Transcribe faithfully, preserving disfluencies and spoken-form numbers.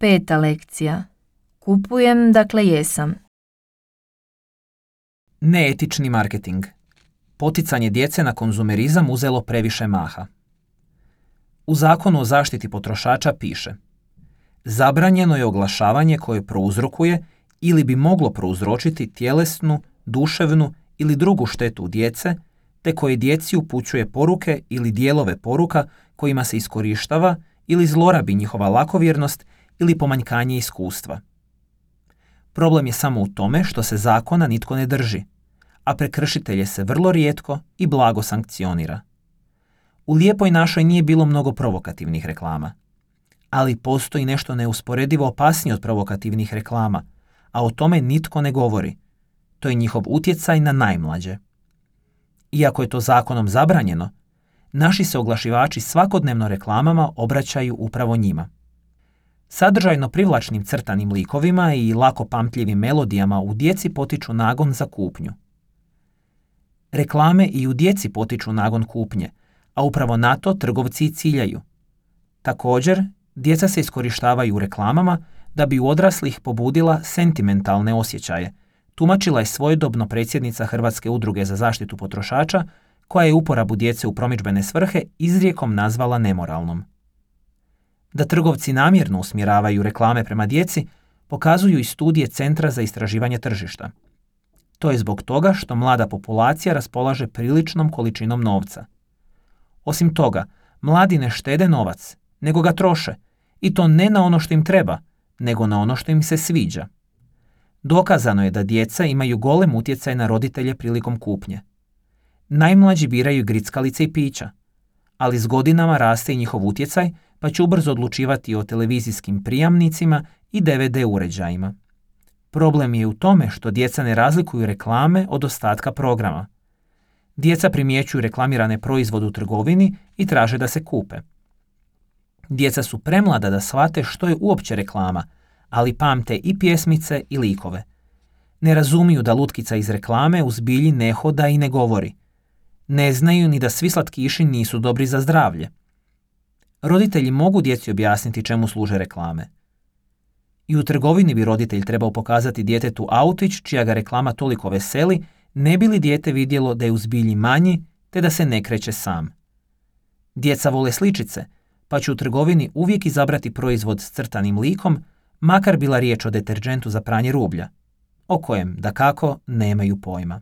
Peta lekcija. Kupujem, dakle jesam. Neetični marketing. Poticanje djece na konzumerizam uzelo previše maha. U Zakonu o zaštiti potrošača piše: zabranjeno je oglašavanje koje prouzrokuje ili bi moglo prouzročiti tjelesnu, duševnu ili drugu štetu djece, te koje djeci upućuje poruke ili dijelove poruka kojima se iskorištava ili zlorabi njihova lakovjernost ili pomanjkanje iskustva. Problem je samo u tome što se zakona nitko ne drži, a prekršitelje se vrlo rijetko i blago sankcionira. U Lijepoj našoj nije bilo mnogo provokativnih reklama, ali postoji nešto neusporedivo opasnije od provokativnih reklama, a o tome nitko ne govori. To je njihov utjecaj na najmlađe. Iako je to zakonom zabranjeno, naši se oglašivači svakodnevno reklamama obraćaju upravo njima. Sadržajno privlačnim crtanim likovima i lako pamtljivim melodijama u djeci potiču nagon za kupnju. Reklame i u djeci potiču nagon kupnje, a upravo na to trgovci i ciljaju. Također, djeca se iskorištavaju u reklamama da bi u odraslih pobudila sentimentalne osjećaje, tumačila je svojedobno predsjednica Hrvatske udruge za zaštitu potrošača, koja je uporabu djece u promidžbene svrhe izrijekom nazvala nemoralnom. Da trgovci namjerno usmjeravaju reklame prema djeci pokazuju i studije Centra za istraživanje tržišta. To je zbog toga što mlada populacija raspolaže priličnom količinom novca. Osim toga, mladi ne štede novac, nego ga troše, i to ne na ono što im treba, nego na ono što im se sviđa. Dokazano je da djeca imaju golem utjecaj na roditelje prilikom kupnje. Najmlađi biraju grickalice i pića, ali s godinama raste i njihov utjecaj, pa će ubrzo odlučivati o televizijskim prijamnicima i D V D uređajima. Problem je u tome što djeca ne razlikuju reklame od ostatka programa. Djeca primjećuju reklamirane proizvode u trgovini i traže da se kupe. Djeca su premlada da shvate što je uopće reklama, ali pamte i pjesmice i likove. Ne razumiju da lutkica iz reklame u zbilji ne hoda i ne govori. Ne znaju ni da svi slatkiši nisu dobri za zdravlje. Roditelji mogu djeci objasniti čemu služe reklame. I u trgovini bi roditelj trebao pokazati djetetu autić čija ga reklama toliko veseli, ne bi li dijete vidjelo da je u zbilji manji te da se ne kreće sam. Djeca vole sličice, pa će u trgovini uvijek izabrati proizvod s crtanim likom, makar bila riječ o deterdžentu za pranje rublja, o kojem, dakako, nemaju pojma.